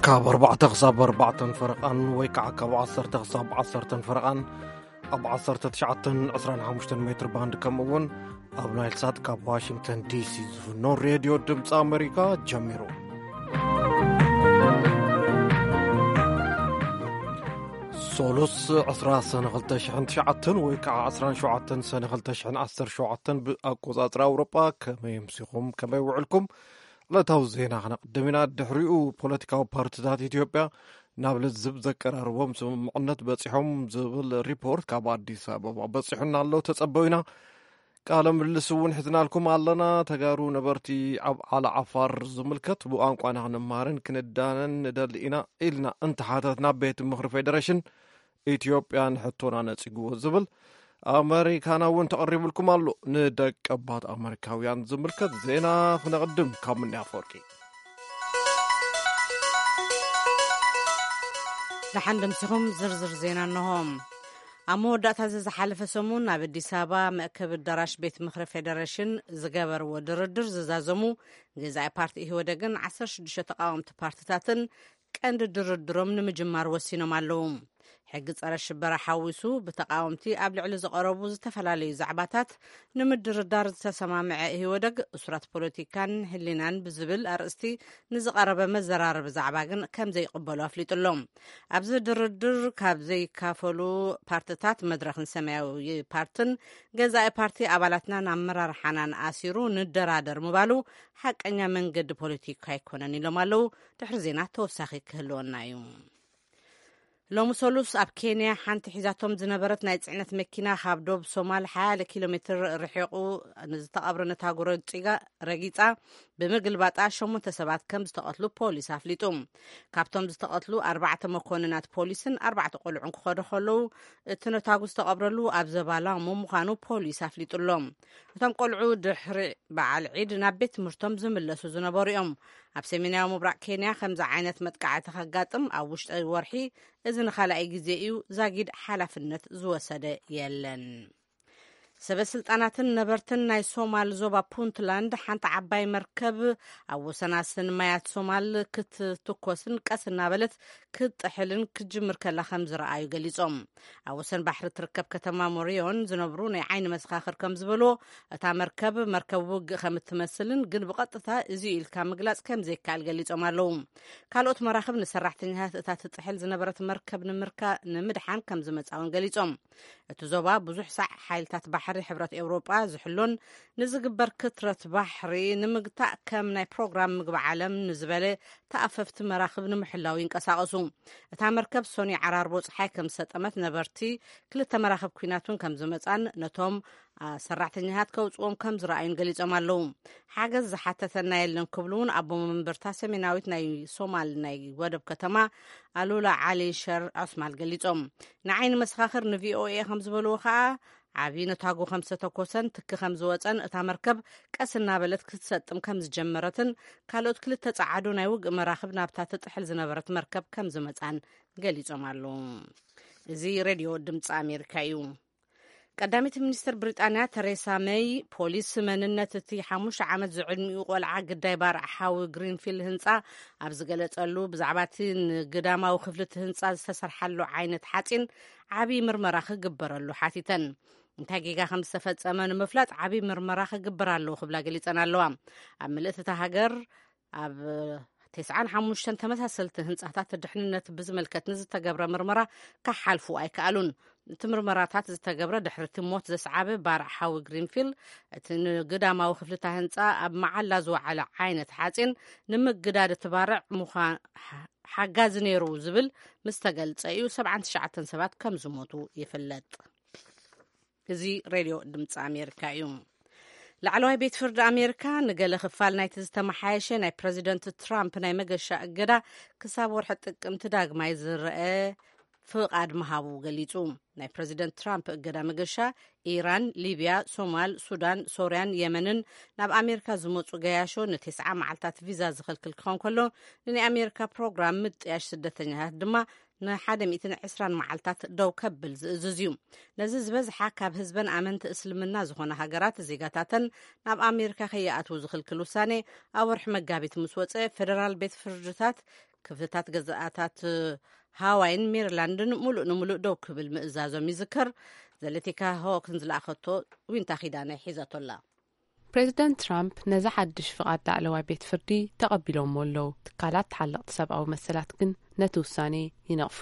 ካብ ኣርባዕተ ክሳብ ኣርባዕተን ፈረቓን ወይ ከዓ ካብ ዓሰርተ ክሳብ ዓሰርተን ፈረቓን ኣብ ዓሰርተ ትሽዓተን ዕስራን ሓሙሽተን ሜትር ባንድ፣ ከምኡ እውን ኣብ ናይል ሳት ካብ ዋሽንግተን ዲሲ ዝፍኖ ሬድዮ ድምፂ ኣሜሪካ ጀሚሩ። ሶሉስ ዕስራ ሰነ ክልተ ሽሕን ትሽዓተን ወይ ከዓ ዕስራን ሸውዓተን ሰነ ክልተ ሽሕን ዓሰርተ ሸውዓተን ብኣቆፃፅራ ኣውሮጳ። ከመይ ኣምሲኹም? ከመይ ውዕልኩም? ዕለታዊ ዜና ክነቕድም ኢና። ድሕሪኡ ፖለቲካዊ ፓርቲታት ኢትዮጵያ ናብ ልዝብ ዘቀራርቦም ስምምዕነት በፂሖም ዝብል ሪፖርት ካብ ኣዲስ ኣበባ በፂሑና ኣሎ። ተፀበዩና። ቃለ ምልልስ እውን ሒዝናልኩም ኣለና። ተጋሩ ነበርቲ ኣብ ዓላ ዓፋር ዝምልከት ብቋንቋና ክንመሃርን ክንዳነን ንደሊ ኢና ኢልና እንተሓተትና፣ ቤት ምኽሪ ፌዴሬሽን ኢትዮጵያ ንሕቶና ነጺግዎ ዝብል ኣመሪካና እውን ተቐሪብልኩም ኣሎ። ንደቀባት ኣመሪካውያን ዝምልከት ዜና ክነቕድም ካብ ምንያ ኣፈወርቂ። ደሓን ደምሲኹም ዝርዝር ዜና እንሆ። ኣብ መወዳእታ እዚ ዝሓለፈ ሰሙን ኣብ ኣዲስ ኣበባ መእከቢ ኣዳራሽ ቤት ምኽሪ ፌደሬሽን ዝገበርዎ ድርድር ዝዛዘሙ ገዛኢ ፓርቲ ኢህወደግን ዓሰርተ ሽዱሽተ ተቃወምቲ ፓርቲታትን ቀንዲ ድርድሮም ንምጅማር ወሲኖም ኣለዉ። ሕጊ ጸረ ሽበራ ሓዊሱ ብተቃወምቲ ኣብ ልዕሊ ዝቐረቡ ዝተፈላለዩ ዛዕባታት ንምድርዳር ዝተሰማምዐ ኢህወደግ፣ እሱራት ፖለቲካን ህሊናን ብዝብል ኣርእስቲ ንዝቐረበ መዘራረቢ ዛዕባ ግን ከም ዘይቕበሉ ኣፍሊጡ ኣሎ። ኣብዚ ድርድር ካብ ዘይካፈሉ ፓርትታት መድረኽን ሰማያዊ ፓርትን፣ ገዛኢ ፓርቲ ኣባላትናን ኣመራርሓናን ኣሲሩ ንደራደር ምባሉ ሓቀኛ መንገዲ ፖለቲካ ኣይኮነን ኢሎም ኣለዉ። ድሕሪ ዜና ተወሳኺ ክህልወና እዩ። ሎሚ ሰሉስ ኣብ ኬንያ ሓንቲ ሒዛቶም ዝነበረት ናይ ጽዕነት መኪና ካብ ዶብ ሶማል ሓያለ ኪሎ ሜትር ርሒቑ ንዝተቐብረ ነታጉ ረጺጋ-፣ ረጊጻ ብምግልባጣ ሸሞንተ ሰባት ከም ዝተቐትሉ ፖሊስ ኣፍሊጡ። ካብቶም ዝተቐትሉ ኣርባዕተ መኮንናት ፖሊስን ኣርባዕተ ቆልዑን ክኸዱ ከለዉ፣ እቲ ነታጉ ዝተቐብረሉ ኣብ ዘባላሙ ምዃኑ ፖሊስ ኣፍሊጡ ኣሎ። እቶም ቆልዑ ድሕሪ በዓል ዒድ ናብ ቤት ትምህርቶም ዝምለሱ ዝነበሩ እዮም። ኣብ ሰሜናዊ ምብራቕ ኬንያ ከምዚ ዓይነት መጥቃዕቲ ከጋጥም ኣብ ውሽጢ ወርሒ እዚ ንኻልኣይ ግዜ እዩ። ዛጊድ ሓላፍነት ዝወሰደ የለን። ሰበ ስልጣናትን ነበርትን ናይ ሶማል ዞባ ፑንትላንድ ሓንቲ ዓባይ መርከብ ኣብ ወሰናስን ማያት ሶማል ክትትኮስን ቀስ እናበለት ክትጥሕልን ክትጅምር ከላ ከም ዝረኣዩ ገሊጾም። ኣብ ወሰን ባሕሪ ትርከብ ከተማ ሞሪዮን ዝነብሩ ናይ ዓይኒ መሰኻኽር ከም ዝበልዎ፣ እታ መርከብ፣ መርከብ ውግእ ከም እትመስልን ግን ብቐጥታ እዚ ኢልካ ምግላጽ ከም ዘይከኣል ገሊጾም ኣለዉ። ካልኦት መራኽብ ንሰራሕተኛታት እታ ትጥሕል ዝነበረት መርከብ ንምርካ-፣ ንምድሓን ከም ዝመጻ እውን ገሊጾም። እቲ ዞባ ብዙሕ ሳዕ ሓይልታት ባሕሪ ሕብረት ኤውሮጳ ዝሕሎን ንዝግበር ክትረት ባሕሪ ንምግታእ ከም ናይ ፕሮግራም ምግቢ ዓለም ንዝበለ ተኣፈፍቲ መራኽብ ንምሕላው ይንቀሳቐሱ። እታ መርከብ ሶኒ ዓራርቦ ጸሓይ ከም ዝሰጠመት ነበርቲ ክልተ መራኽብ ኲናት እውን ከም ዝመጻን ነቶም፣ አ፣ ሰራሕተኛታት ከውጽዎም ከም ዝረኣዩን ገሊጾም ኣለዉ። ሓገዝ ዝሓተተና የለን ክብሉ እውን ኣቦ መንበርታ ሰሜናዊት ናይ ሶማል ናይ ወደብ ከተማ ኣሉላ ዓሊ ሸር ዑስማል ገሊጾም። ንዓይኒ መሰኻኽር ንቪኦኤ ከም ዝበልዎ ከኣ፣ ዓቢ ነታጉ ከም ዝተተኮሰን ትኪ ከም ዝወጸን እታ መርከብ ቀስ እናበለት ክትሰጥም ከም ዝጀመረትን ካልኦት ክልተ ጸዓዱ ናይ ውግእ መራኽብ ናብታ ትጥሕል ዝነበረት መርከብ ከም ዝመጻን ገሊጾም ኣለዉ። እዚ ሬድዮ ድምጺ ኣሜሪካ እዩ። ቀዳመይቲ ሚኒስትር ብሪጣንያ ተሬሳ መይ፣ ፖሊስ መንነት እቲ ሓሙሽተ ዓመት ዝዕድሚኡ ቆልዓ ግዳይ ባርዕ ሓዊ ግሪንፊል ህንጻ ኣብ ዝገለጸሉ፣ ብዛዕባ እቲ ንግዳማዊ ክፍሊ እቲ ህንጻ ዝተሰርሓሉ ዓይነት ሓጺን ዓቢ ምርመራ ክግበረሉ ሓቲተን። እንታይ ጌጋ ከም ዝተፈጸመ ንምፍላጥ ዓቢ ምርመራ ክግበር ኣለዎ ክብላ ገሊጸን ኣለዋ። ኣብ ምልእቲ እታ ሃገር ኣብ ተስዓን ሓሙሽተን ተመሳሰልቲ ህንጻታት ድሕንነት ብዝምልከት ንዝተገብረ ምርመራ ክሓልፉ ኣይከኣሉን። እቲ ምርመራታት ዝተገብረ ድሕሪ እቲ ሞት ዘስዓበ ባርዕ ሓዊ ግሪንፊል፣ እቲ ንግዳማዊ ክፍልታ ህንጻ ኣብ መዓላ ዝወዓለ ዓይነት ሓጺን ንምግዳድ እቲ ባርዕ ምዃ-፣ ሓ-፣ ሓጋዚ ነይሩ ዝብል ምስ ተገልጸ እዩ ሰብዓን ትሽዓተን ሰባት ከም ዝሞቱ ይፍለጥ። እዚ ሬድዮ ድምፂ ኣሜሪካ እዩ። ላዕለዋይ ቤት ፍርዲ ኣሜሪካ ንገለ ክፋል ናይቲ ዝተመሓየሸ ናይ ፕረዚደንት ትራምፕ ናይ መገሻ እገዳ ክሳብ ወርሒ ጥቅምቲ ዳግማይ ዝረአ ፍቓድ ምሃቡ ገሊጹ። ናይ ፕረዚደንት ትራምፕ እገዳ መገሻ ኢራን፣ ሊብያ፣ ሶማል፣ ሱዳን፣ ሶርያን የመንን ናብ ኣሜሪካ ዝመጹ ገያሾ ንተስዓ መዓልታት ቪዛ ዝኽልክል ክኸውን ከሎ፣ ንናይ ኣሜሪካ ፕሮግራም ምጥያሽ ስደተኛታት ድማ ንሓደ ሚእትን ዕስራን መዓልታት ደው ከብል ዝእዝዝ እዩ። ነዚ ዝበዝሓ ካብ ህዝበን ኣመንቲ እስልምና ዝኾነ ሃገራት ዜጋታተን ናብ ኣሜሪካ ከይኣትዉ ዝኽልክል ውሳኔ ኣብ ወርሒ መጋቢት ምስ ወጸ፣ ፌደራል ቤት ፍርድታት ክፍልታት ገዛእታት ሃዋይን ሜሪላንድን ሙሉእ ንሙሉእ ደው ክብል ምእዛዞም ይዝከር። ዘለቲካ ሆክን ዝለኣኸቶ ዊንታ ኪዳነ ሒዛቶ ኣላ። ፕሬዚደንት ትራምፕ ነዚ ሓድሽ ፍቓድ ላዕለዋይ ቤት ፍርዲ ተቐቢሎምዎ ኣለዉ። ትካላት ተሓለቕቲ ሰብኣዊ መሰላት ግን ነቲ ውሳኔ ይነቕፉ።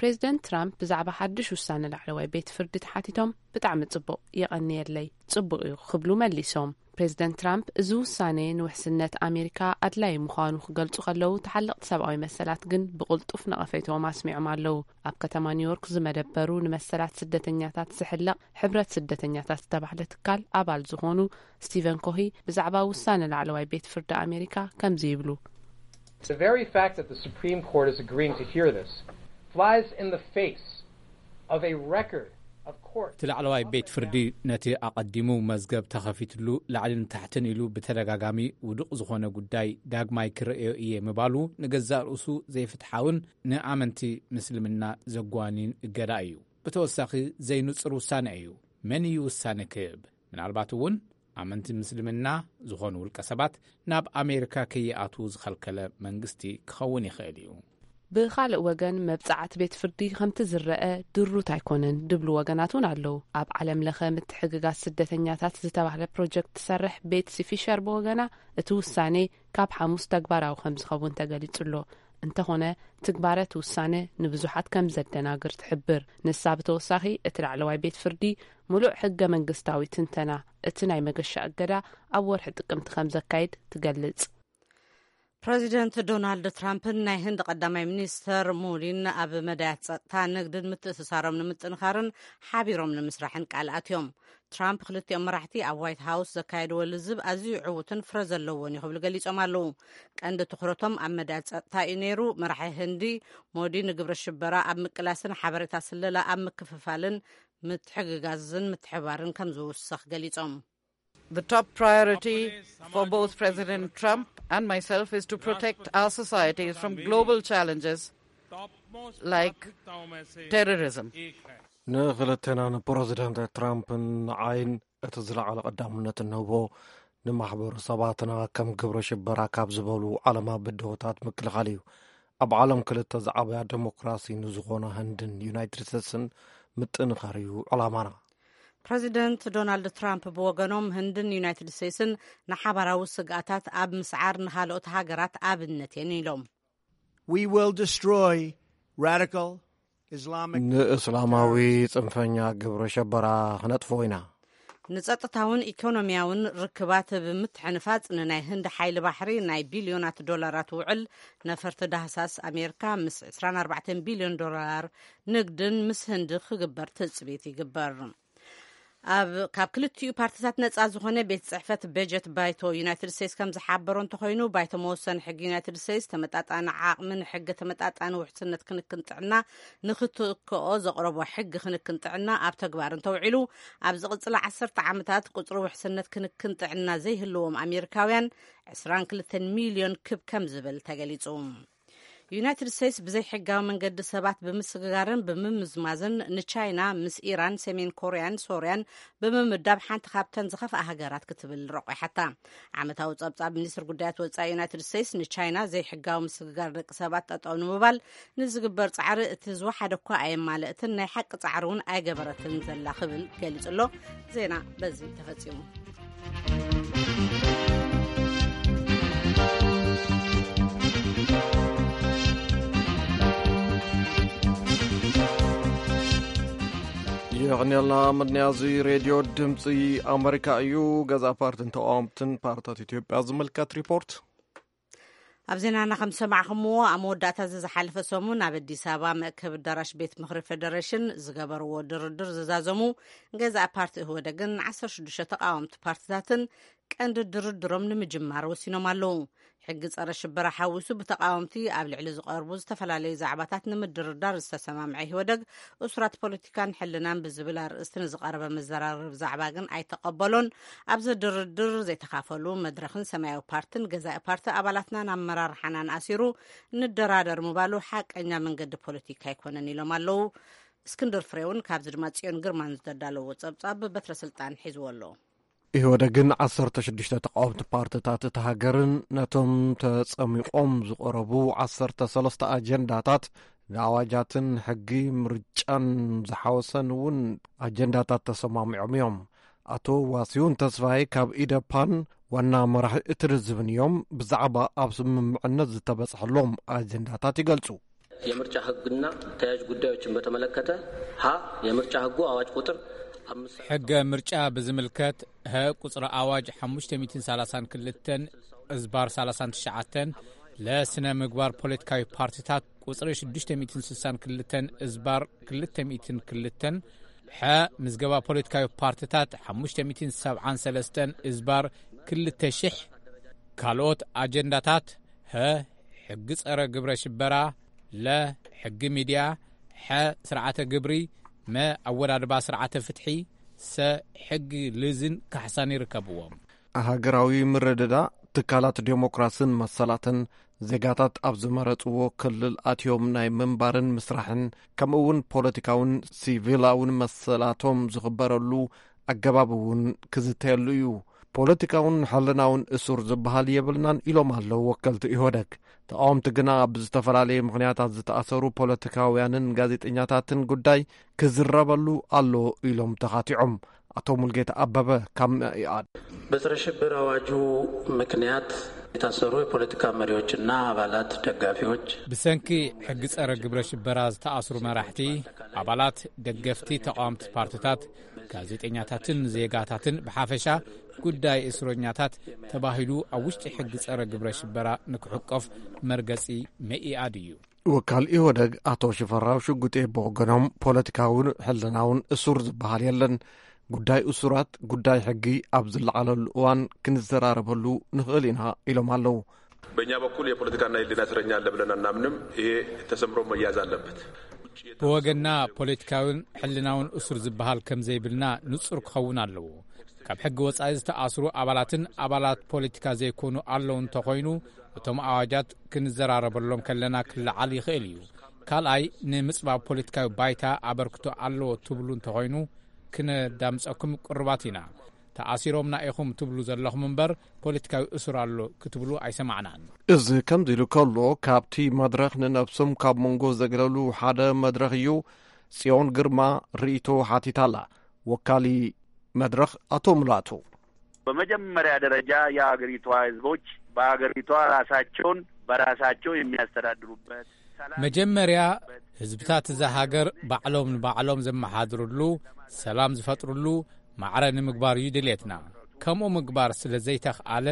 ፕሬዚደንት ትራምፕ ብዛዕባ ሓድሽ ውሳነ ላዕለዋይ ቤት ፍርዲ ተሓቲቶም፣ "ብጣዕሚ ጽቡቕ፣ የቐንየለይ፣ ጽቡቕ እዩ" ክብሉ መሊሶም። ፕሬዚደንት ትራምፕ፣ "እዚ ውሳኔ ንውሕስነት ኣሜሪካ ኣድላዪ ምዃኑ ክገልጹ ከለዉ፣ ተሓለቕቲ ሰብኣዊ መሰላት ግን ብቕልጡፍ ነቐፌትኦም ኣስሚዖም ኣለዉ። ኣብ ከተማ ኒውዮርክ ዝመደበሩ ንመሰላት ስደተኛታት ዝሕለቕ ሕብረት ስደተኛታት ዝተባህለ ትካል ኣባል ዝኾኑ ስቲቨን ኮሂ ብዛዕባ ውሳነ ላዕለዋይ ቤት ፍርዲ ኣሜሪካ ከምዚ ይብሉ። The very fact that the Supreme Court is agreeing to hear this flies in the face of a record of court እቲ ላዕለዋይ ቤት ፍርዲ ነቲ ኣቐዲሙ መዝገብ ተኸፊትሉ ላዕልን ታሕትን ኢሉ ብተደጋጋሚ ውዱቕ ዝኾነ ጉዳይ ዳግማይ ክርእዮ እየ ምባሉ ንገዛእ ርእሱ ዘይፍትሓውን ንኣመንቲ ምስልምና ዘጓንይን እገዳ እዩ። ብተወሳኺ ዘይንጹር ውሳነ እዩ። መን እዩ ውሳነ ክህብ? ምናልባት እውን ኣመንቲ ምስልምና ዝኾኑ ውልቀ ሰባት ናብ ኣሜሪካ ከይኣትዉ ዝኸልከለ መንግስቲ ክኸውን ይኽእል እዩ። ብኻልእ ወገን፣ መብጻዓት ቤት ፍርዲ ከምቲ ዝረአ ድሩት ኣይኮነን ድብሉ ወገናት እውን ኣለዉ። ኣብ ዓለም ለኸ ምትሕግጋዝ ስደተኛታት ዝተባህለ ፕሮጀክት ትሰርሕ ቤትሲ ፊሸር ብወገና፣ እቲ ውሳኔ ካብ ሓሙስ ተግባራዊ ከም ዝኸውን ተገሊጹ ኣሎ። እንተኾነ፣ ትግባረ እቲ ውሳነ ንብዙሓት ከም ዘደናግር ትሕብር። ንሳ ብተወሳኺ፣ እቲ ላዕለዋይ ቤት ፍርዲ ምሉእ ሕገ መንግስታዊ ትንተና እቲ ናይ መገሻ እገዳ ኣብ ወርሒ ጥቅምቲ ከም ዘካይድ ትገልጽ። ፕረዚደንት ዶናልድ ትራምፕን ናይ ህንዲ ቀዳማይ ሚኒስተር ሞዲን ኣብ መዳያት ጸጥታ፣ ንግድን ምትእስሳሮም ንምጥንኻርን ሓቢሮም ንምስራሕን ቃል ኣትዮም። ትራምፕ ክልቲኦም መራሕቲ ኣብ ዋይት ሃውስ ዘካየድዎ ልዝብ ኣዝዩ ዕዉትን ፍረ ዘለዎን እዩ ክብሉ ገሊጾም ኣለዉ። ቀንዲ ትኹረቶም ኣብ መዳያት ጸጥታ እዩ ነይሩ። መራሒ ህንዲ ሞዲ ንግብረ ሽበራ ኣብ ምቅላስን ሓበሬታ ስለላ ኣብ ምክፍፋልን ምትሕግጋዝን ምትሕባርን ከም ዝውሰኽ ገሊጾም። The top priority for both President Trump and myself is to protect our societies from global challenges like terrorism. ንክልቴና ንፕረዚደንት ትራምፕን ንዓይን እቲ ዝለዓለ ቀዳምነት እንህቦ ንማሕበረሰባትና ከም ግብረ ሽበራ ካብ ዝበሉ ዓለማ ብድሆታት ምክልኻል እዩ። ኣብ ዓለም ክልተ ዝዓበያ ዴሞክራሲ ንዝኾና ህንድን ዩናይትድ ስቴትስን ምጥንኻር እዩ ዕላማና። ፕረዚደንት ዶናልድ ትራምፕ ብወገኖም፣ ህንድን ዩናይትድ ስቴትስን ንሓባራዊ ስግኣታት ኣብ ምስዓር ንኻልኦት ሃገራት ኣብነት እየን ኢሎም። We will destroy radical Islamic ንእስላማዊ ጽንፈኛ ግብረ ሸበራ ክነጥፍኦ ኢና። ንጸጥታውን ኢኮኖሚያውን ርክባት ብምትሕንፋጽ፣ ንናይ ህንዲ ሓይሊ ባሕሪ ናይ ቢልዮናት ዶላራት ውዕል ነፈርቲ ዳህሳስ ኣሜሪካ ምስ ዕስራን ኣርባዕተን ቢልዮን ዶላር ንግድን ምስ ህንዲ ክግበር ትጽቢት ይግበር። ኣብ ካብ ክልቲኡ ፓርቲታት ነጻ ዝኾነ ቤት ጽሕፈት በጀት ባይቶ ዩናይትድ ስቴትስ ከም ዝሓበሮ እንተኾይኑ፣ ባይቶ መወሰኒ ሕጊ ዩናይትድ ስቴትስ ተመጣጣኒ ዓቕሚ ንሕጊ ተመጣጣኒ ውሕስነት ክንክን ጥዕና ንክትክኦ ዘቕረቦ ሕጊ ክንክን ጥዕና ኣብ ተግባር እንተውዒሉ፣ ኣብ ዝቕጽላ ዓሰርተ ዓመታት ቁጽሪ ውሕስነት ክንክን ጥዕና ዘይህልዎም ኣሜሪካውያን ዕስራን ክልተን ሚልዮን ክብ ከም ዝብል ተገሊጹ። ዩናይትድ ስቴትስ ብዘይሕጋዊ መንገዲ ሰባት ብምስግጋርን ብምምዝማዝን ንቻይና ምስ ኢራን፣ ሰሜን ኮርያን ሶርያን ብምምዳብ ሓንቲ ካብተን ዝኸፍኣ ሃገራት ክትብል ረቑሓታ። ዓመታዊ ጸብጻብ ሚኒስትር ጉዳያት ወጻኢ ዩናይትድ ስቴትስ ንቻይና ዘይሕጋዊ ምስግጋር ደቂ ሰባት ጠጠው ንምባል ንዝግበር ጻዕሪ እቲ ዝወሓደ እኳ ኣየማለእትን፣ ናይ ሓቂ ጻዕሪ እውን ኣይገበረትን ዘላ ክብል ገሊጹ ኣሎ። ዜና በዚ ተፈጺሙ። የቕንየልና። ምድንያዙ ሬድዮ ድምፂ ኣመሪካ እዩ። ገዛ ፓርትን ተቃወምትን ፓርታት ኢትዮጵያ ዝምልከት ሪፖርት። ኣብ ዜናና ከም ዝሰማዕኹምዎ፣ ኣብ መወዳእታ እዚ ዝሓለፈ ሰሙን ኣብ ኣዲስ ኣበባ መእከቢ ኣዳራሽ ቤት ምኽሪ ፌደሬሽን ዝገበርዎ ድርድር ዝዛዘሙ ገዛኢ ፓርቲ ኢህወደግን ዓሰርተ ሽዱሽተ ተቃወምቲ ፓርትታትን ቀንዲ ድርድሮም ንምጅማር ወሲኖም ኣለዉ። ሕጊ ጸረ ሽበራ ሓዊሱ ብተቃወምቲ ኣብ ልዕሊ ዝቐርቡ ዝተፈላለዩ ዛዕባታት ንምድርዳር ዝተሰማምዐ ኢህወደግ፣ እሱራት ፖለቲካን ሕልናን ብዝብል ኣርእስቲ ንዝቐረበ መዘራረቢ ዛዕባ ግን ኣይተቐበሎን። ኣብዚ ድርድር ዘይተኻፈሉ መድረኽን ሰማያዊ ፓርትን ገዛኢ ፓርቲ ኣባላትናን ኣመራርሓናን ኣሲሩ ንደራደር ምባሉ ሓቀኛ መንገዲ ፖለቲካ ኣይኮነን ኢሎም ኣለዉ። እስክንድር ፍሬውን ካብዚ ድማ ጽዮን ግርማን ዝተዳለዎ ጸብጻብ በትረ ስልጣን ሒዝዎ ኣሎ። ኢህወደግን ዓሰርተ ሽዱሽተ ተቃወምቲ ፓርትታት እታ ሃገርን ነቶም ተጸሚቖም ዝቐረቡ ዓሰርተ ሰለስተ ኣጀንዳታት ንኣዋጃትን ሕጊ ምርጫን ዝሓወሰን እውን ኣጀንዳታት ተሰማሚዖም እዮም። ኣቶ ዋሲውን ተስፋይ ካብ ኢደፓን ዋና መራሒ እቲ ርዝብን እዮም። ብዛዕባ ኣብ ስምምዕነት ዝተበጽሐሎም ኣጀንዳታት ይገልጹ። የምርጫ ህግና ተያያዥ ጉዳዮችን በተመለከተ፣ ሀ፣ የምርጫ ህጉ አዋጅ ቁጥር አምስት ሕገ ምርጫ ብዝምልከት፣ ሀ፣ ቁጽሪ ኣዋጅ ሓሙሽተ ሚእትን ሰላሳን ክልተን እዝባር ሰላሳን ትሽዓተን፣ ለስነ ምግባር ፖለቲካዊ ፓርቲታት ቁጽሪ ሽዱሽተ ሚእትን ስሳን ክልተን እዝባር ክልተ ሚእትን ክልተን፣ ሐ፣ ምዝገባ ፖለቲካዊ ፓርቲታት ሓሙሽተ ሚእትን ሰብዓን ሰለስተን እዝባር ክልተ ሽሕ፣ ካልኦት ኣጀንዳታት፣ ሀ፣ ሕጊ ጸረ ግብረ ሽበራ፣ ለ፣ ሕጊ ሚድያ፣ ሐ፣ ስርዓተ ግብሪ፣ መ፣ ኣወዳድባ ስርዓተ ፍትሒ፣ ሰ፣ ሕጊ ልዝን ካሕሳን ይርከብዎም። ሃገራዊ ምርድዳእ፣ ትካላት ዴሞክራስን መሰላትን፣ ዜጋታት ኣብ ዝመረጽዎ ክልል ኣትዮም ናይ ምንባርን ምስራሕን፣ ከምኡ እውን ፖለቲካውን ሲቪላውን መሰላቶም ዝኽበረሉ ኣገባብ እውን ክዝተየሉ እዩ። ፖለቲካውን ሕልናውን እሱር ዝበሃል የብልናን ኢሎም ኣለዉ ወከልቲ ኢህወደግ። ተቃወምቲ ግና ብዝተፈላለየ ምኽንያታት ዝተኣሰሩ ፖለቲካውያንን ጋዜጠኛታትን ጉዳይ ክዝረበሉ ኣሎ ኢሎም ተኻቲዖም። ኣቶ ሙልጌታ ኣበበ ካብ መኢኣድ። በጸረ ሽብር አዋጁ ምክንያት የታሰሩ የፖለቲካ መሪዎችና አባላት፣ ደጋፊዎች ብሰንኪ ሕጊ ጸረ ግብረ ሽበራ ዝተኣስሩ መራሕቲ፣ ኣባላት፣ ደገፍቲ ተቃወምቲ ፓርቲታት፣ ጋዜጠኛታትን ዜጋታትን ብሓፈሻ ጉዳይ እስረኛታት ተባሂሉ ኣብ ውሽጢ ሕጊ ጸረ ግብረ ሽበራ ንክሕቆፍ መርገጺ መኢኣድ እዩ። ወካል ኢህወደግ ኣቶ ሽፈራው ሽጉጤ ብወገኖም፣ ፖለቲካውን ሕልናውን እሱር ዝበሃል የለን። ጉዳይ እሱራት ጉዳይ ሕጊ ኣብ ዝለዓለሉ እዋን ክንዘራረበሉ ንኽእል ኢና ኢሎም ኣለዉ። በእኛ በኩል የፖለቲካና የህሊና እስረኛ አለ ብለን አናምንም። ይሄ ተሰምሮ መያዝ አለበት። ብወገንና ፖለቲካውን ሕልናውን እሱር ዝበሃል ከም ዘይብልና ንጹር ክኸውን ኣለዎ። ካብ ሕጊ ወጻኢ ዝተኣስሩ ኣባላትን ኣባላት ፖለቲካ ዘይኮኑ ኣለዉ እንተኾይኑ፣ እቶም ኣዋጃት ክንዘራረበሎም ከለና ክለዓል ይኽእል እዩ። ካልኣይ፣ ንምጽባብ ፖለቲካዊ ባይታ ኣበርክቶ ኣለዎ ትብሉ እንተኾይኑ፣ ክነዳምጸኩም ቅሩባት ኢና። ተኣሲሮምና ኢኹም ትብሉ ዘለኹም እምበር፣ ፖለቲካዊ እሱር ኣሎ ክትብሉ ኣይሰማዕናን። እዚ ከምዚ ኢሉ ከሎ፣ ካብቲ መድረኽ ንነብሶም ካብ መንጎ ዘግለሉ ሓደ መድረኽ እዩ። ጽዮን ግርማ ርእይቶ ሓቲታላ። ወካሊ መድረኽ ኣቶ ሙላቱ። በመጀመሪያ ደረጃ የአገሪቷ ህዝቦች በአገሪቷ ራሳቸውን በራሳቸው የሚያስተዳድሩበት፣ ሰላም መጀመርያ፣ ህዝብታት እዛ ሃገር ባዕሎም ንባዕሎም ዘመሓድርሉ፣ ሰላም ዝፈጥርሉ ማዕረ ንምግባር እዩ ድሌትና። ከምኡ ምግባር ስለ ዘይተኽኣለ፣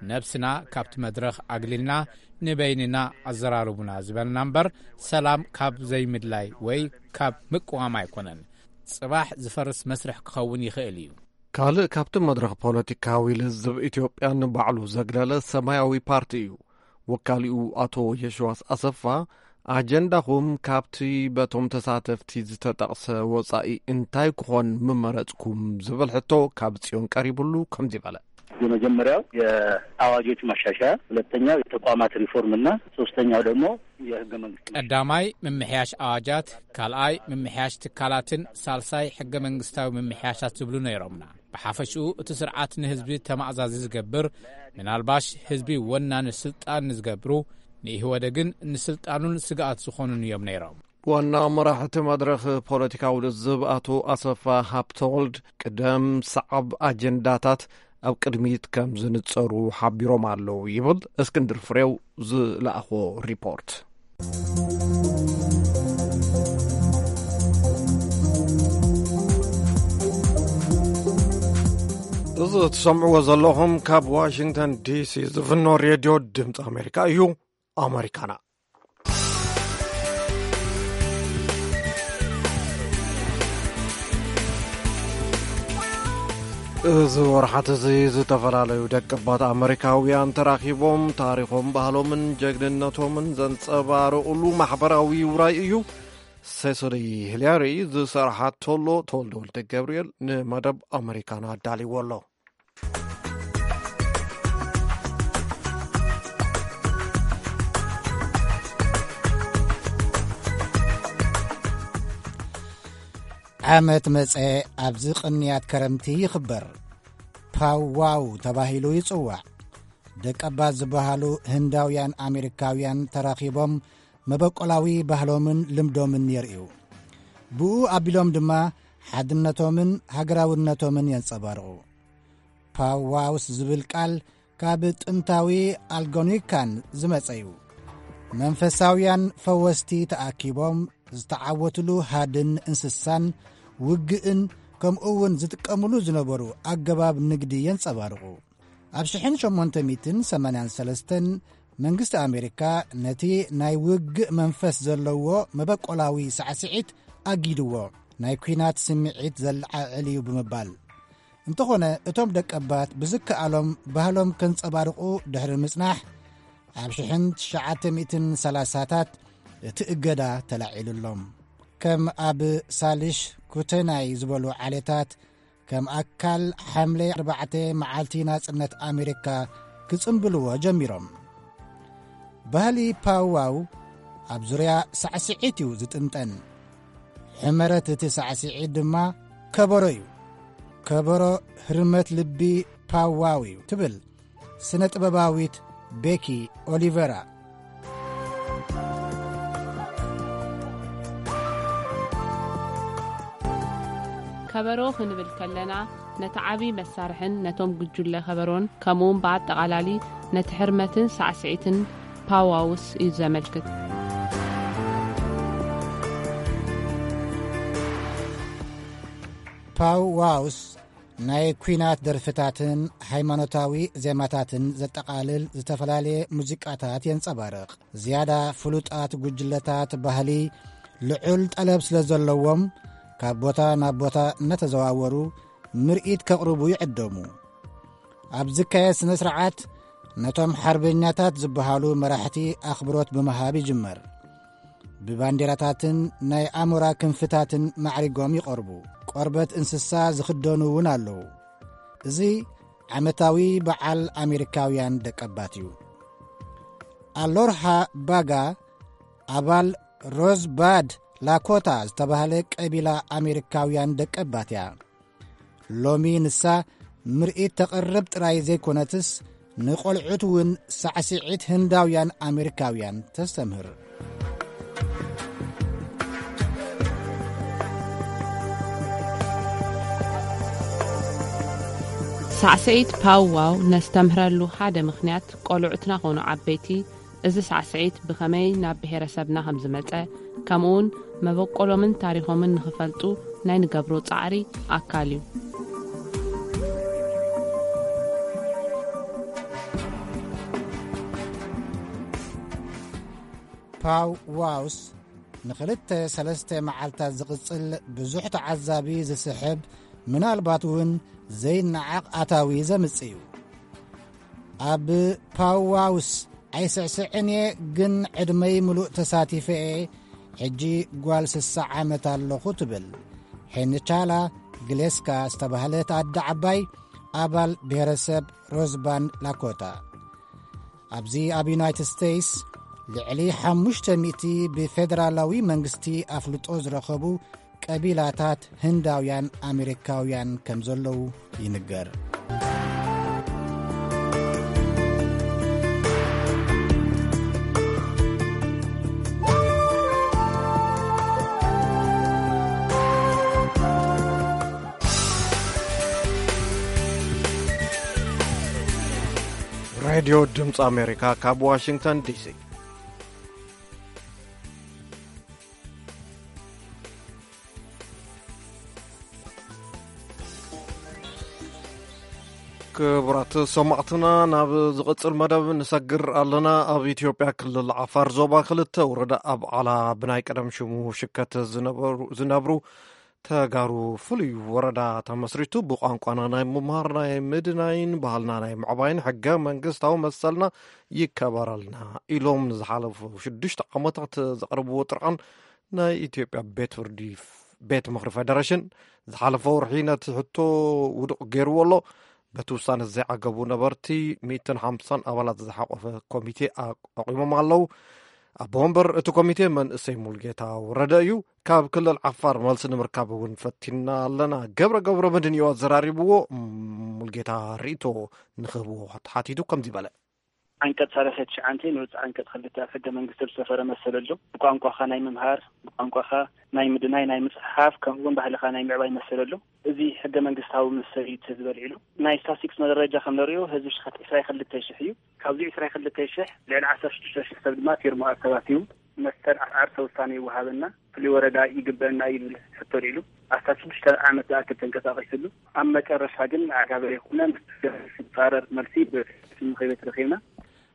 ነብስና ካብቲ መድረኽ ኣግሊልና ንበይንና ኣዘራርቡና ዝበልና እምበር፣ ሰላም ካብ ዘይምድላይ ወይ ካብ ምቅዋም ኣይኮነን። ጽባሕ ዝፈርስ መስርሕ ክኸውን ይኽእል እዩ። ካልእ ካብቲ መድረኽ ፖለቲካዊ ልዝብ ኢትዮጵያ ንባዕሉ ዘግለለ ሰማያዊ ፓርቲ እዩ። ወካሊኡ ኣቶ የሽዋስ ኣሰፋ፣ ኣጀንዳኹም ካብቲ በቶም ተሳተፍቲ ዝተጠቕሰ ወጻኢ እንታይ ክኾን ምመረጽኩም ዝብል ሕቶ ካብ ጽዮን ቀሪብሉ ከምዚ በለ። የመጀመሪያው የአዋጆች ማሻሻያ፣ ሁለተኛው የተቋማት ሪፎርም እና ሶስተኛው ደግሞ የህገ መንግስት ማሻሻያ። ቀዳማይ ምምሕያሽ ኣዋጃት፣ ካልኣይ ምምሕያሽ ትካላትን ሳልሳይ ሕገ መንግስታዊ ምምሕያሻት ዝብሉ ነይሮምና። ብሓፈሽኡ እቲ ስርዓት ንህዝቢ ተማእዛዚ ዝገብር፣ ምናልባሽ ህዝቢ ወናኒ ስልጣን ንዝገብሩ፣ ንኢህወደግን ንስልጣኑን ስግኣት ዝኾኑን እዮም ነይሮም። ዋና መራሒ እቲ መድረኽ ፖለቲካዊ ልዝብ ኣቶ ኣሰፋ ሃብተወልድ፣ ቅደም ሰዓብ ኣጀንዳታት ኣብ ቅድሚት ከም ዝንጸሩ ሓቢሮም ኣለዉ ይብል እስክንድር ፍሬው ዝለኣኾ ሪፖርት። እዚ ትሰምዕዎ ዘለኹም ካብ ዋሽንግተን ዲሲ ዝፍኖ ሬድዮ ድምፂ ኣሜሪካ እዩ። ኣመሪካና። እዚ ወርሓት እዚ ዝተፈላለዩ ደቂ ኣባት ኣመሪካውያን ተራኺቦም ታሪኾም፣ ባህሎምን ጀግንነቶምን ዘንጸባርቑሉ ማሕበራዊ ውራይ እዩ። ሴሶሊ ሂላሪ ዝሰርሓቶ ኣሎ። ተወልደ ወልደ ገብርኤል ንመደብ ኣመሪካና ኣዳልይዎ ኣሎ። ዓመት መጸ ኣብዚ ቅንያት ከረምቲ ይኽበር። ፓው ዋው ተባሂሉ ይጽዋዕ። ደቀባት ዝበሃሉ ህንዳውያን ኣሜሪካውያን ተራኺቦም መበቆላዊ ባህሎምን ልምዶምን የርእዩ። ብኡ ኣቢሎም ድማ ሓድነቶምን ሃገራውነቶምን የንጸባርቑ። ፓው ዋውስ ዝብል ቃል ካብ ጥንታዊ ኣልጎኒካን ዝመጸ እዩ። መንፈሳውያን ፈወስቲ ተኣኪቦም ዝተዓወትሉ ሃድን እንስሳን ውግእን ከምኡ እውን ዝጥቀምሉ ዝነበሩ ኣገባብ ንግዲ የንጸባርቑ። ኣብ ሽሕን ሸሞንተ ሚእትን ሰማንያን ሰለስተን መንግስቲ ኣሜሪካ ነቲ ናይ ውግእ መንፈስ ዘለዎ መበቆላዊ ሳዕስዒት ኣጊድዎ፣ ናይ ኲናት ስምዒት ዘለዓዕል እዩ ብምባል። እንተኾነ እቶም ደቀባት ብዝከኣሎም ባህሎም ከንጸባርቑ ድሕሪ ምጽናሕ ኣብ ሽሕን ትሽዓተ ሚእትን ሰላሳታት እቲ እገዳ ተላዒሉሎም። ከም ኣብ ሳልሽ ኩተናይ ዝበሉ ዓሌታት ከም ኣካል ሓምለ ኣርባዕተ መዓልቲ ናጽነት ኣሜሪካ ክጽንብልዎ ጀሚሮም። ባህሊ ፓውዋው ኣብ ዙርያ ሳዕስዒት እዩ ዝጥንጠን። ሕመረት እቲ ሳዕስዒት ድማ ከበሮ እዩ። ከበሮ ህርመት ልቢ ፓውዋው እዩ ትብል ስነ ጥበባዊት ቤኪ ኦሊቨራ። ከበሮ ክንብል ከለና ነቲ ዓቢ መሳርሕን ነቶም ጉጅለ ከበሮን ከምኡውን ብኣጠቓላሊ ነቲ ሕርመትን ሳዕስዒትን ፓዋውስ እዩ ዘመልክት። ፓው ዋውስ ናይ ኲናት ደርፍታትን ሃይማኖታዊ ዜማታትን ዘጠቓልል ዝተፈላለየ ሙዚቃታት የንጸባርቕ። ዝያዳ ፍሉጣት ጉጅለታት ባህሊ ልዑል ጠለብ ስለ ዘለዎም ካብ ቦታ ናብ ቦታ እናተዘዋወሩ ምርኢት ከቕርቡ ይዕደሙ። ኣብ ዝካየድ ስነ ስርዓት ነቶም ሓርበኛታት ዝበሃሉ መራሕቲ ኣኽብሮት ብምሃብ ይጅመር። ብባንዴራታትን ናይ ኣሞራ ክንፍታትን ማዕሪጎም ይቐርቡ። ቆርበት እንስሳ ዝኽደኑ እውን ኣለዉ። እዚ ዓመታዊ በዓል ኣሜሪካውያን ደቀባት እዩ። ኣሎርሃ ባጋ ኣባል ሮዝባድ ላኮታ ዝተባህለ ቀቢላ ኣሜሪካውያን ደቀባት እያ። ሎሚ ንሳ ምርኢት ተቕርብ ጥራይ ዘይኮነትስ ንቖልዑት እውን ሳዕስዒት ህንዳውያን ኣሜሪካውያን ተስተምህር። ሳዕስዒት ፓውዋው ነስተምህረሉ ሓደ ምኽንያት ቆልዑትና ኾኑ ዓበይቲ እዚ ሳዕስዒት ብኸመይ ናብ ብሄረሰብና ከም ዝመጸ ከምኡውን መበቆሎምን ታሪኾምን ንኽፈልጡ ናይ ንገብሮ ጻዕሪ ኣካል እዩ። ፓው ዋውስ ንኽልተ ሰለስተ መዓልታት ዝቕጽል ብዙሕ ተዓዛቢ ዝስሕብ ምናልባት እውን ዘይነዓቕ ኣታዊ ዘምጽእ እዩ። ኣብ ፓው ዋውስ ኣይስዕስዕን እየ ግን ዕድመይ ምሉእ ተሳቲፈ እየ። ሕጂ ጓል ስሳ ዓመት ኣለኹ ትብል ሄንቻላ ግሌስካ ዝተባህለት ኣደ ዓባይ ኣባል ብሄረሰብ ሮዝባንድ ላኮታ። ኣብዚ ኣብ ዩናይትድ ስቴትስ ልዕሊ ሓሙሽተ ሚእቲ ብፌደራላዊ መንግስቲ ኣፍልጦ ዝረኸቡ ቀቢላታት ህንዳውያን ኣሜሪካውያን ከም ዘለዉ ይንገር። ሬድዮ ድምፂ ኣሜሪካ ካብ ዋሽንግተን ዲሲ። ክቡራት ሰማዕትና፣ ናብ ዝቕጽል መደብ ንሰግር ኣለና። ኣብ ኢትዮጵያ ክልል ዓፋር ዞባ ክልተ ወረዳ ኣብ ዓላ ብናይ ቀደም ሽሙ ሽከት ዝነበሩ ተጋሩ ፍሉይ ወረዳ ተመስሪቱ ብቋንቋና ናይ ምምሃር ናይ ምድናይን ባህልና ናይ ምዕባይን ሕገ መንግስታዊ መሰልና ይከበረልና ኢሎም ንዝሓለፉ ሽዱሽተ ዓመታት ዘቕረብዎ ጥርዓን ናይ ኢትዮጵያ ቤት ፍርዲ ቤት ምኽሪ ፌደሬሽን ዝሓለፈ ወርሒ ነቲ ሕቶ ውዱቕ ገይርዎ ኣሎ። በቲ ውሳነ ዘይዓገቡ ነበርቲ ሚእትን ሓምሳን ኣባላት ዝሓቆፈ ኮሚቴ ኣቋቑሞም ኣለዉ። ኣቦ ወንበር እቲ ኮሚቴ መንእሰይ ሙልጌታ ወረደ እዩ። ካብ ክልል ዓፋር መልሲ ንምርካብ እውን ፈቲና ኣለና። ገብረ ገብረ መድህን እዩ ኣዘራሪብዎ። ሙልጌታ ርእይቶ ንክህብዎ ተሓቲቱ ከምዚ በለ። ዓንቀፅ ሰላሳ ትሽዓተ ንዑስ ዓንቀፅ ክልተ ኣብ ሕገ መንግስቲ ዝሰፈረ መሰል ኣሎ። ብቋንቋኻ ናይ ምምሃር፣ ብቋንቋኻ ናይ ምድናይ፣ ናይ ምፅሓፍ፣ ከምኡ እውን ባህልኻ ናይ ምዕባይ መሰል ኣሎ። እዚ ሕገ መንግስታዊ መሰል እዩ እቲ ዝበል ኢሉ። ናይ ስታስቲክስ መረጃ ከም ንሪኦ ህዝቢ ሽኸት ዕስራ ክልተ ሽሕ እዩ። ካብዚ ዕስራ ክልተ ሽሕ ልዕሊ ዓሰርተ ሽዱሽተ ሽሕ ሰብ ድማ ፊርማ ኣተባትዩ። መሰል ዓርሰ ውሳኔ ይወሃበና፣ ፍሉይ ወረዳ ይግበአና እዩ ዝብል ሕቶ ኣልዒሉ። ኣስታት ሽዱሽተ ዓመት ዝኣክል ተንቀሳቒስሉ። ኣብ መጨረሻ ግን ኣጋበ ይኹነ ምስ ዝፃረር መልሲ ብምኽሪ ቤት ረኺብና።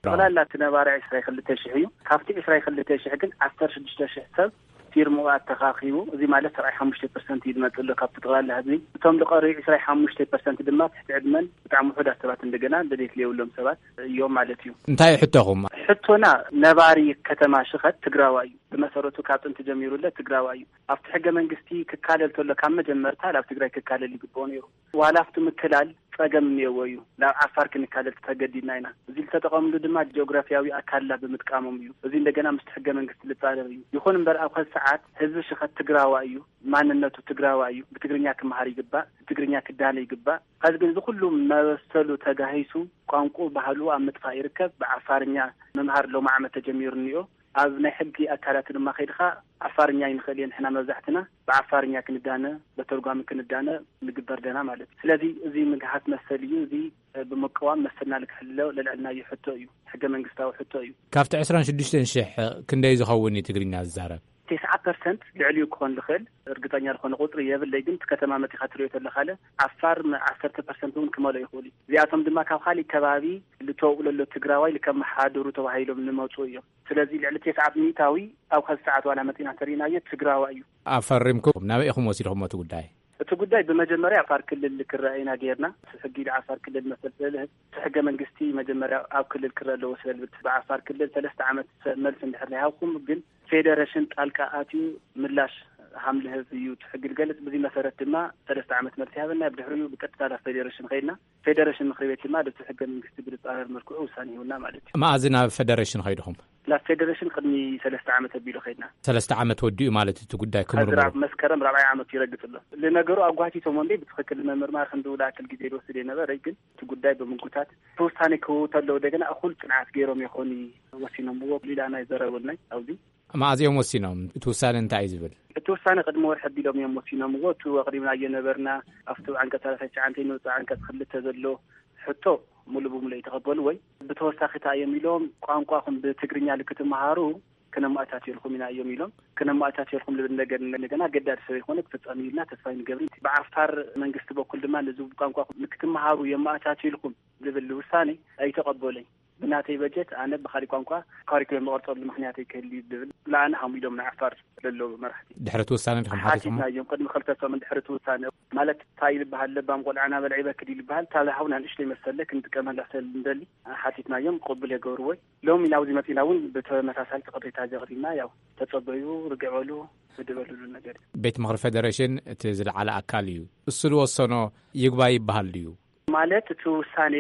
ጠቕላላ እቲ ነባሪ ዕስራ ክልተ ሽሕ እዩ። ካብቲ ዕስራ ክልተ ሽሕ ግን ዓሰርተ ሽዱሽተ ሽሕ ሰብ ፊርምኡ ኣተኻኺቡ፣ እዚ ማለት ሰብዓይ ሓሙሽተ ፐርሰንት እዩ ዝመጽእ ኣሎ ካብቲ ጠቕላላ ህዝቢ። እቶም ዝቐርዩ ዕስራ ሓሙሽተ ፐርሰንት ድማ ትሕቲ ዕድመን ብጣዕሚ ውሑዳት ሰባት፣ እንደገና ድሌት ዘይብሎም ሰባት እዮም ማለት እዩ። እንታይ እዩ ሕቶኹም? ሕቶና ነባሪ ከተማ ሽኸት ትግራዋይ እዩ። ብመሰረቱ ካብ ጥንቲ ጀሚሩ ለ ትግራዋይ እዩ። ኣብቲ ሕገ መንግስቲ ክካለል ተሎ ካብ መጀመርታ ናብ ትግራይ ክካለል ይግብኦ ነይሩ። ዋላ ኣብቲ ምክላል ጸገም እኒኦዎ እዩ። ናብ ዓፋር ክንካለል ተገዲድና ኢና። እዚ ዝተጠቐምሉ ድማ ጂኦግራፊያዊ ኣካልና ብምጥቃሞም እዩ። እዚ እንደገና ምስቲ ሕገ መንግስቲ ዝጻረር እዩ። ይኹን እምበር ኣብ ኸዚ ሰዓት ህዝቢ ሽኸት ትግራዋይ እዩ፣ ማንነቱ ትግራዋይ እዩ። ብትግርኛ ክመሃር ይግባእ፣ ብትግርኛ ክዳነ ይግባእ። ኸዚ ግን እዚ ኩሉ መበሰሉ ተጋሂሱ ቋንቁ ባህሉ ኣብ ምጥፋእ ይርከብ። ብዓፋርኛ ምምሃር ሎም ዓመት ተጀሚሩ እኒኦ። ኣብ ናይ ሕጊ ኣካላት ድማ ከይድኻ ዓፋርኛ ይንኽእል እየ ንሕና መብዛሕትና ብዓፋርኛ ክንዳነ በተርጓሚ ክንዳነ ንግበር ደና ማለት እዩ። ስለዚ እዚ ምግሃስ መሰል እዩ። እዚ ብምቅዋም መሰልና ልክሕልሎ ለልዕልና እዩ ሕቶ እዩ። ሕገ መንግስታዊ ሕቶ እዩ። ካብቲ ዕስራን ሽዱሽተን ሽሕ ክንደይ ዝኸውን እዩ ትግርኛ ዝዛረብ? ተስዓ ፐርሰንት ልዕሊኡ ክኾን ዝኽእል እርግጠኛ ዝኾነ ቁፅሪ የብለይ፣ ግን እቲ ከተማ መጢኻ ትሪኦ ተለኻለ ዓፋር ዓሰርተ ፐርሰንት እውን ክመልኦ ይኽእሉ እዩ። እዚኣቶም ድማ ካብ ካሊእ ከባቢ ልተወቅሎ ኣሎ ትግራዋይ ልከመሓድሩ ተባሂሎም ንመፁ እዮም። ስለዚ ልዕሊ ተስዓት ሚእታዊ ኣብ ኸዚ ሰዓት ዋላ መፂና ተሪእናዮ ትግራዋይ እዩ። ኣፈሪምኩም ናበይ ኢኹም ወሲድኹም እቲ ጉዳይ? እቲ ጉዳይ ብመጀመርያ ዓፋር ክልል ክረአ ኢና ጌርና። ሕጊ ዓፋር ክልል መሰል ስለ ዝህብ እቲ ሕገ መንግስቲ መጀመርያ ኣብ ክልል ክረአ ኣለዎ ስለ ዝብል ብዓፋር ክልል ሰለስተ ዓመት መልሲ እንድሕር ናይ ሃብኩም ግን ፌደሬሽን ጣልቃ ኣትዩ ምላሽ ሃም ልህብ እዩ እቲ ሕጊ ዝገልጽ። ብዚ መሰረት ድማ ሰለስተ ዓመት መልሲ ሃበና። ብድሕሪኡ ብቀጥታ ናብ ፌደሬሽን ኸይድና። ፌደሬሽን ምክሪ ቤት ድማ ደቲ ሕገ መንግስቲ ብዝጻረር መልክዑ ውሳኔ ይሁና ማለት እዩ። መኣዚ ናብ ፌደሬሽን ኸይድኹም? ናብ ፌደሬሽን ቅድሚ ሰለስተ ዓመት ኣቢሉ ኸይድና። ሰለስተ ዓመት ወዲኡ ማለት እቲ ጉዳይ ክምርምሩ? ኣብ መስከረም ራብዓይ ዓመት ይረግጽ ኣሎ። ለነገሩ ኣጓቲቶም ወንዴ ብትኽክል መምርማር ክንዲ ውላክል ግዜ ዝወስድ የነበረ፣ ግን እቲ ጉዳይ ብምጉታት እቲ ውሳኔ ክህቡ ተለዉ ደገና እኹል ጽንዓት ገይሮም ይኾኑ ወሲኖምዎ ኢላና ይዘረበልናይ ኣብዚ። መኣዚኦም ወሲኖም? እቲ ውሳኔ እንታይ እዩ ዝብል? እቲ ውሳኔ ቅድሚ ወርሒ ኣቢሎም እዮም ወሲኖምዎ። እቲ ኣቕሪብናዮ ነበርና ኣብቲ ዓንቀጽ ሰላሳ ትሽዓተ ንውፃ ዓንቀጽ ክልተ ዘሎ ሕቶ ሙሉ ብሙሉ ይተቐበሉ ወይ ብተወሳኺ እንታይ እዮም ኢሎም ቋንቋኹም ብትግርኛ ልክትመሃሩ ክነማእታትየልኩም ኢና እዮም ኢሎም። ክነማእታትየልኩም ልብል ነገር እንደገና ገዳድ ስለ ዝኾነ ክፍጸም ኢልና ተስፋ ይንገብር። ብዓፋር መንግስቲ በኩል ድማ ነዚ ቋንቋ ንክትመሃሩ የማእታትየልኩም ልብል ውሳኔ ኣይተቐበለይ። ብናተይ በጀት ኣነ ብኻሊእ ቋንቋ ካሪኩለም መቐርጸሉ ምክንያት ኣይክህል እዩ ዝብል ለኣነ ሃሙ ኢሎም ንዓፋር ለለዉ መራሕቲ ድሕሪ እቲ ውሳነ ዲኹም ሓቲትኩሞ? ሓቲትና እዮም። ቅድሚ ክልተ ሰሙን ድሕሪ እቲ ውሳነ ማለት እንታይ ይልበሃል ለባም ቆልዓ ናበልዓ ይበክድ ይልበሃል። እታ ዝሃቡና ንእሽተይ መሰለ ክንጥቀመላ ስለ እንደሊ ሓቲትናዮም ቅቡል የገብርዎ። ሎሚ ናብዚ መፂና እውን ብተመሳሳሊ እቲ ቅሬታ እዚ ኣቕሪብና ያው ተፀበዩ ርግዕ በሉ ህድእ በሉ ዝብል ነገር እዩ። ቤት ምኽሪ ፌደሬሽን እቲ ዝለዓለ ኣካል እዩ። እሱ ዝወሰኖ ይግባይ ይበሃል ድዩ? ማለት እቲ ውሳኔ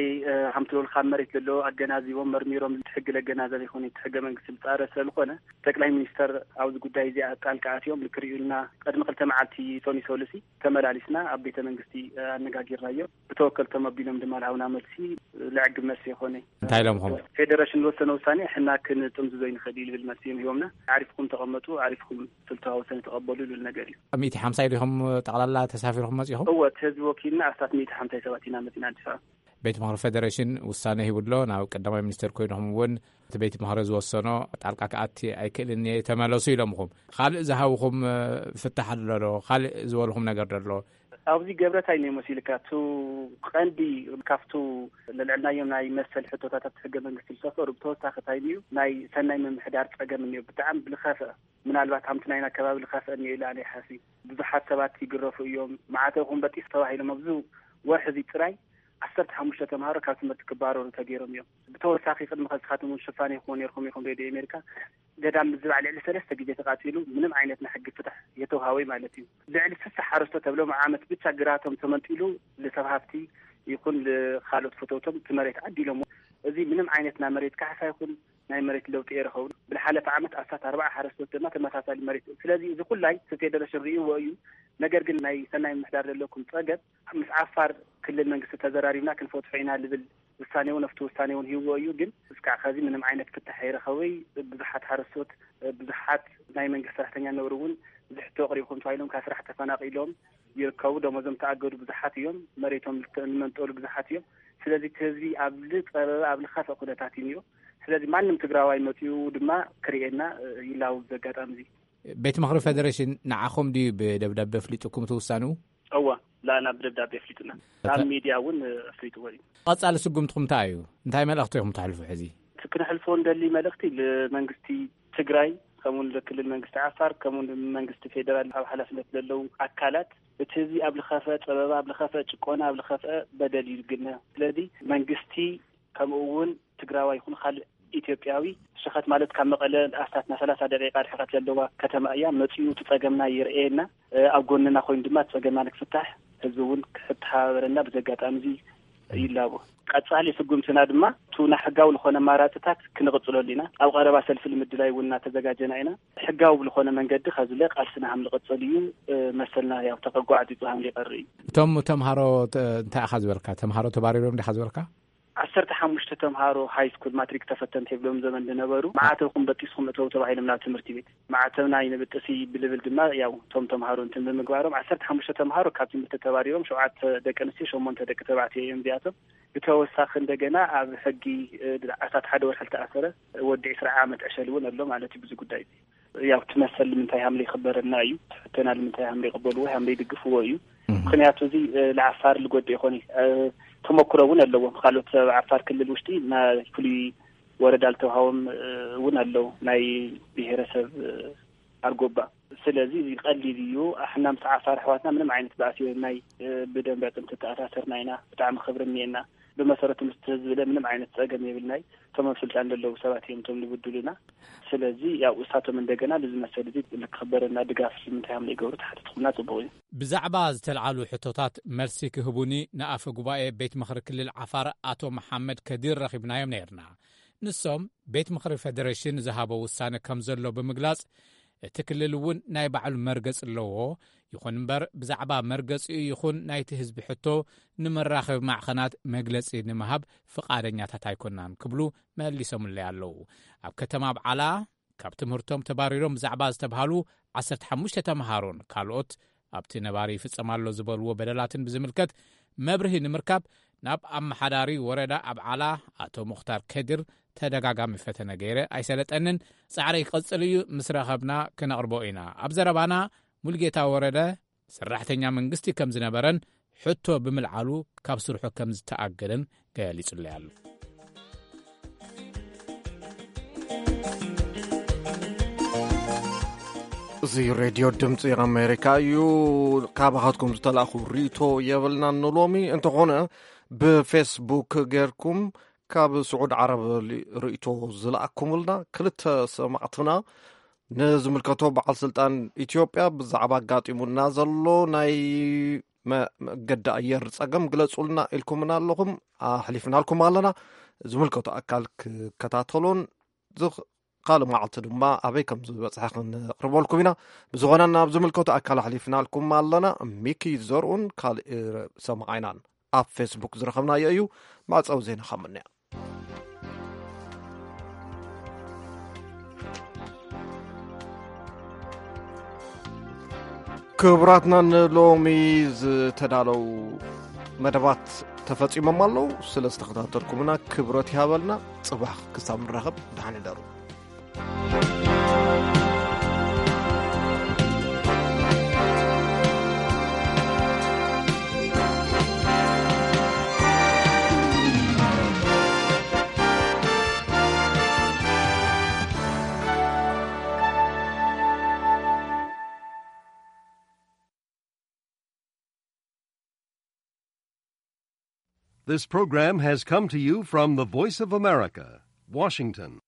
ከምቲ ልብል ካብ መሬት ዘሎ ኣገናዚቦም መርሚሮም እቲ ሕጊ ለገናዘብ ይኹን እቲ ሕገ መንግስቲ ዝፃረ ስለዝኾነ ጠቅላይ ሚኒስተር ኣብዚ ጉዳይ እዚኣ ጣልቃ ኣትዮም ንክርእዩልና ቅድሚ ክልተ መዓልቲ ሶኒ ሶሉሲ ተመላሊስና ኣብ ቤተ መንግስቲ ኣነጋጊርናዮ። ብተወከልቶም ኣቢሎም ድማ ልሃውና መልሲ ልዕግብ መልሲ ይኾነ። እንታይ ኢሎምኹም? ፌደሬሽን ዝወሰነ ውሳኔ ሕና ክንጥምዝዞ ይንኽእል እዩ ልብል መልሲ እዮም ሂቦምና። ዓሪፍኩም ተቐመጡ፣ ዓሪፍኩም ስልታዊ ውሳኔ ተቐበሉ ልብል ነገር እዩ። ሚእቲ ሓምሳ ኢኹም ጠቕላላ ተሳፊርኩም መጺኹም? እወ፣ እቲ ህዝቢ ወኪልና ኣስታት ሚእቲ ሓምሳ ሰባት ኢና መጺና ኣዲስ ኣበባ። ቤት ምኽሪ ፌደሬሽን ውሳነ ሂቡ ኣሎ። ናብ ቀዳማይ ሚኒስትር ኮይንኹም እውን እቲ ቤት ምኽሪ ዝወሰኖ ጣልቃ ክኣቲ ኣይክእልን እየ ተመለሱ ኢሎምኹም። ካልእ ዝሃብኹም ፍታሕ ኣሎ ዶ? ካልእ ዝበልኹም ነገር ዶ ኣሎ? ኣብዚ ገብረ እንታይ እኒኦ መሲልካ? እቱ ቀንዲ ካብቱ ለልዕልናዮም ናይ መሰል ሕቶታት ኣብቲ ሕገ መንግስቲ ዝሰፈሩ ብተወሳኺ እንታይ እኒኡ ናይ ሰናይ ምምሕዳር ጸገም እኒኦ። ብጣዕሚ ብልኸፍአ ምናልባት ከምቲ ናይና ከባቢ ልኸፍአ እኒኦ ኢለ ኣነ ይሓስብ። ብዙሓት ሰባት ይግረፉ እዮም። መዓተ ይኹን በጢስ ተባሂሎም ኣብዚ ወርሒ እዚ ጥራይ ዓሰርተ ሓሙሽተ ተምሃሮ ካብ ትምህርቲ ክባረሩ ተገይሮም እዮም። ብተወሳኺ ቅድሚ ከስኻትም እውን ሽፋን ይኹን ነርኩም ኢኹም ሬድዮ ኣሜሪካ ገዳም ምዝባዕ ልዕሊ ሰለስተ ግዜ ተቃጺሉ ምንም ዓይነት ናይ ሕጊ ፍትሕ የተውሃወይ ማለት እዩ። ልዕሊ ስሳ ሓረስቶ ተብሎም ዓመት ብቻ ግራቶም ተመንጢሉ ልሰብ ሃፍቲ ይኹን ልካልኦት ፈተውቶም እቲ መሬት ዓዲሎም እዚ ምንም ዓይነት ናይ መሬት ካሕሳ ይኹን ናይ መሬት ለውጢ ኣይረኸቡን። ብዝሓለፈ ዓመት ኣስታት ኣርባዓ ሓረስቶት ድማ ተመሳሳሊ መሬት። ስለዚ እዚ ኩላይ እቲ ፌደሬሽን ርእይዎ እዩ። ነገር ግን ናይ ሰናይ ምምሕዳር ዘለኩም ጸገም ምስ ዓፋር ክልል መንግስቲ ተዘራሪብና ክንፈትሖ ኢና ዝብል ውሳኔ እውን ኣብቲ ውሳኔ እውን ሂብዎ እዩ። ግን እስካዕ ከዚ ምንም ዓይነት ፍታሕ ኣይረኸበይ። ብዙሓት ሓረስቶት፣ ብዙሓት ናይ መንግስቲ ሰራሕተኛ ነበሩ እውን እዚ ሕቶ ኣቕሪብኩም ተባሂሎም ካብ ስራሕ ተፈናቒሎም ይርከቡ። ደሞዞም ተኣገዱ ብዙሓት እዮም። መሬቶም ዝተመንጠሉ ብዙሓት እዮም። ስለዚ እቲ ህዝቢ ኣብ ዝጸበበ ኣብ ዝኸፍአ ኩነታት እዩ ነይሩ። ስለዚ ማንም ትግራዋይ መጺኡ ድማ ክርእየና ይላው። ብዚ ኣጋጣሚ እዚ ቤት ምኽሪ ፌደሬሽን ንዓኹም ድዩ ብደብዳቤ ኣፍሊጡኩም እቲ ውሳንኡ? እወ፣ ላና ብደብዳቤ ኣፍሊጡና። ናብ ሚድያ እውን ኣፍሊጥዎ እዩ። ቀጻሊ ስጉምትኹም እንታይ እዩ? እንታይ መልእኽቲ ኢኹም ተሕልፉ ሕዚ? እቲ ክነሕልፎ እንደሊ መልእኽቲ ንመንግስቲ ትግራይ፣ ከምኡ ንክልል መንግስቲ ዓፋር፣ ከምኡ ንመንግስቲ ፌደራል ኣብ ሓላፍነት ዘለዉ ኣካላት፣ እቲ ህዝቢ ኣብ ዝኸፍአ ጸበባ፣ ኣብ ዝኸፍአ ጭቆና፣ ኣብ ዝኸፍአ በደል እዩ ዝግነ። ስለዚ መንግስቲ ከምኡ እውን ትግራዋይ ይኹን ካልእ ኢትዮጵያዊ፣ ሸኸት ማለት ካብ መቐለ ኣስታት ናይ ሰላሳ ደቂቃ ርሕቀት ዘለዋ ከተማ እያ። መፂኡ እቲ ፀገምና ይርኤየና፣ ኣብ ጎንና ኮይኑ ድማ እቲ ፀገምና ንክፍታሕ ህዝቢ እውን ክተሓባበረና ብዚ ኣጋጣሚ እዚ ይላቦ። ቀፃሊ ስጉምትና ድማ እቲ ናይ ሕጋዊ ዝኾነ ኣማራፅታት ክንቕፅለሉ ኢና። ኣብ ቀረባ ሰልፊ ንምድላይ እውን እናተዘጋጀና ኢና። ሕጋዊ ብዝኾነ መንገዲ ከዝለ ቃልስና ከም ዝቕፅል እዩ። መሰልና ያው ተጓዕፂፁ ከም ዝቀሪ እዩ። እቶም ተምሃሮ ተ- እንታይ ኢኻ ዝበልካ? ተምሃሮ ተባሪሮም ዲኻ ዝበልካ? ዓሰርተ ሓሙሽተ ተምሃሮ ሃይ ስኩል ማትሪክ ተፈተንቲ ይብሎም ዘመን ዝነበሩ፣ መዓተብኩም በጢስኩም እተው ተባሂሎም ናብ ትምህርቲ ቤት። መዓተብና ይንብጥሲ ብልብል ድማ ያው እቶም ተምሃሮ እንትን ብምግባሮም ዓሰርተ ሓሙሽተ ተምሃሮ ካብ ትምህርቲ ተባሪሮም፣ ሸውዓተ ደቂ ኣንስትዮ፣ ሸሞንተ ደቂ ተባዕትዮ እዮም እዚኣቶም። ብተወሳኺ እንደገና ኣብ ሕጊ ኣስታት ሓደ ወርሒ ዝተኣሰረ ወዲ ዕስራ ዓመት ዕሸል እውን ኣሎ ማለት እዩ። ብዙ ጉዳይ ያው እቲ መሰል ንምንታይ ሃምለ ይኽበረልና እዩ፣ እቲ ሕቶና ንምንታይ ሃምለ ይቕበልዎ፣ ሃምለ ይድግፍዎ እዩ። ምኽንያቱ እዚ ንዓፋር ዝጎድእ ይኾን እዩ። ተመክሮ እውን ኣለዎም። ካልኦት ኣብ ዓፋር ክልል ውሽጢ ናይ ፍሉይ ወረዳ ዝተውሃቦም እውን ኣለዉ፣ ናይ ብሄረሰብ ኣርጎባ። ስለዚ እዚ ቀሊል እዩ። ኣሕና ምስ ዓፋር ኣሕዋትና ምንም ዓይነት ባእሲ ናይ ብደንበ ጥንቲ ተኣሳሰርና ኢና። ብጣዕሚ ክብሪ እኒኤና። ብመሰረቱ ምስቲ ህዝቢ ለ ምንም ዓይነት ጸገም የብልናይ። እቶም ኣብ ስልጣን ዘለዉ ሰባት እዮም እቶም ዝብድሉና። ስለዚ ያው እሳቶም እንደገና ብዝመሰል እዚ ክኽበረና ድጋፍ ንምንታይ ከም ዘይገብሩ ተሓቲትኩምና ጽቡቕ እዩ። ብዛዕባ ዝተልዓሉ ሕቶታት መልሲ ክህቡኒ ንኣፈ ጉባኤ ቤት ምኽሪ ክልል ዓፋር ኣቶ መሓመድ ከዲር ረኺብናዮም ነይርና። ንሶም ቤት ምኽሪ ፌደሬሽን ዝሃቦ ውሳነ ከም ዘሎ ብምግላጽ፣ እቲ ክልል እውን ናይ ባዕሉ መርገጽ ኣለዎ። ይኹን እምበር ብዛዕባ መርገጺኡ ይኹን ናይቲ ህዝቢ ሕቶ ንመራኸቢ ማዕኸናት መግለጺ ንምሃብ ፍቓደኛታት ኣይኮናን ክብሉ መሊሶምለይ ኣለዉ። ኣብ ከተማ ኣብዓላ ካብ ትምህርቶም ተባሪሮም ብዛዕባ ዝተብሃሉ ዓሰርተ ሓሙሽተ ተምሃሮን ካልኦት ኣብቲ ነባሪ ይፍጸም ኣሎ ዝበልዎ በደላትን ብዝምልከት መብርሂ ንምርካብ ናብ ኣመሓዳሪ ወረዳ ኣብዓላ ኣቶ ሙኽታር ከድር ተደጋጋሚ ፈተነ ገይረ ኣይሰለጠንን። ጻዕረይ ክቕጽል እዩ። ምስ ረኸብና ክነቕርቦ ኢና። ኣብ ዘረባና ሙልጌታ ወረደ ሰራሕተኛ መንግስቲ ከም ዝነበረን ሕቶ ብምልዓሉ ካብ ስርሑ ከም ዝተኣገደን ገሊጹለይ ኣሎ። እዚ ሬድዮ ድምፂ ኣሜሪካ እዩ። ካባኻትኩም ዝተላእኹ ርእይቶ የብልናን ንሎሚ። እንተኾነ ብፌስቡክ ጌርኩም ካብ ስዑድ ዓረብ ሊ- ርእይቶ ዝለኣኩምልና ክልተ ሰማዕትና ንዝምልከቶ በዓል ስልጣን ኢትዮጵያ ብዛዕባ ኣጋጢሙና ዘሎ ናይ መ- መገዲ ኣየር ጸገም ግለጹልና ኢልኩምና ኣለኹም። ኣሕሊፍናልኩም ኣለና። ዝምልከቶ ኣካል ክከታተሎን ዝኽ- ካልእ መዓልቲ ድማ ኣበይ ከም ዝበጽሐ ክንቕርበልኩም ኢና። ብዝኾነ ናብ ዝምልከቶ ኣካል ኣሕሊፍናልኩም ኣለና። ሚኪ ዘርኡን ካልእ ሰማዓይናን ኣብ ፌስቡክ ዝረኸብናዮ እዩ። መዕጸዊ ዜና ካብ ምንያ። ክቡራትና ንሎሚ ዝተዳለው መደባት ተፈጺሞም ኣለዉ። ስለ ዝተኸታተልኩምና ክብረት ይሃበልና። ጽባሕ ክሳብ ንራኸብ ደሓን ይደሩ። This program has come to you from the Voice of America, Washington.